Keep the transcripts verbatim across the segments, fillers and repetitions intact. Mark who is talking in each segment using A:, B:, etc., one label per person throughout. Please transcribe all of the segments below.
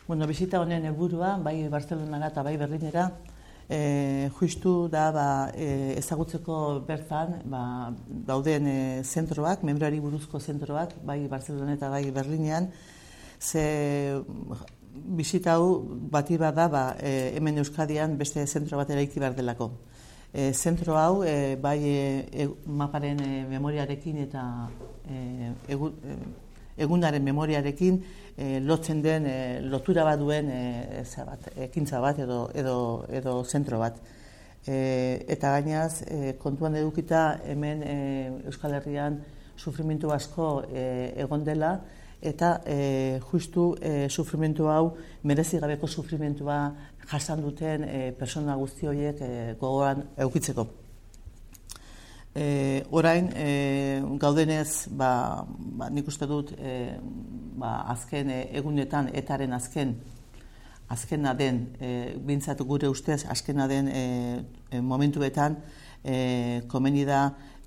A: Bueno, bisita honen helburua, bai Bartzelonara eta bai Berlinera, e, justu da ba, e, ezagutzeko bertan ba, dauden e, zentroak, membrari buruzko zentroak, bai Bartzelona eta bai Berlinean, ze bisita hau bati bat da ba, e, hemen Euskadian beste zentro bat eraiki behar delako. E, zentro hau e, bai e, maparen e, memoriarekin eta e, egu, e, egunaren memoriarekin e, lotzen den, e, lotura bat duen e, bat, ekintza bat edo, edo, edo zentro bat. E, eta gainaz, e, kontuan edukita hemen e, Euskal Herrian sufrimentu asko e, egon dela, eta e, justu e, sufrimentu hau, merezi gabeko sufrimentua jasan duten e, persona guzti horiek e, gogoan eukitzeko. E, orain, e, gaudenez, ba, ba, nik uste dut, e, ba, azken e, egunetan, etaren azken, azkena den, e, bintzat gure ustez, azkena den e, e, momentuetan, e, komeni da,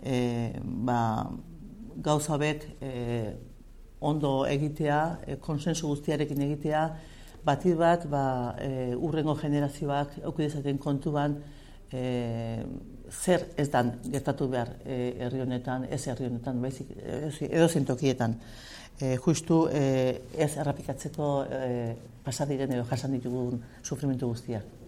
A: e, ba, gauza hauek e, ondo egitea, e, konsensu guztiarekin egitea, bati bat, ba, e, urrengo generazioak eukidezaten kontuan, e, zer ez dan gertatu behar e, herri honetan, ez herri honetan, baizik, edo zentokietan. E, justu e, ez errapikatzeko e, pasadiren edo jasan ditugun sufrimentu guztiak.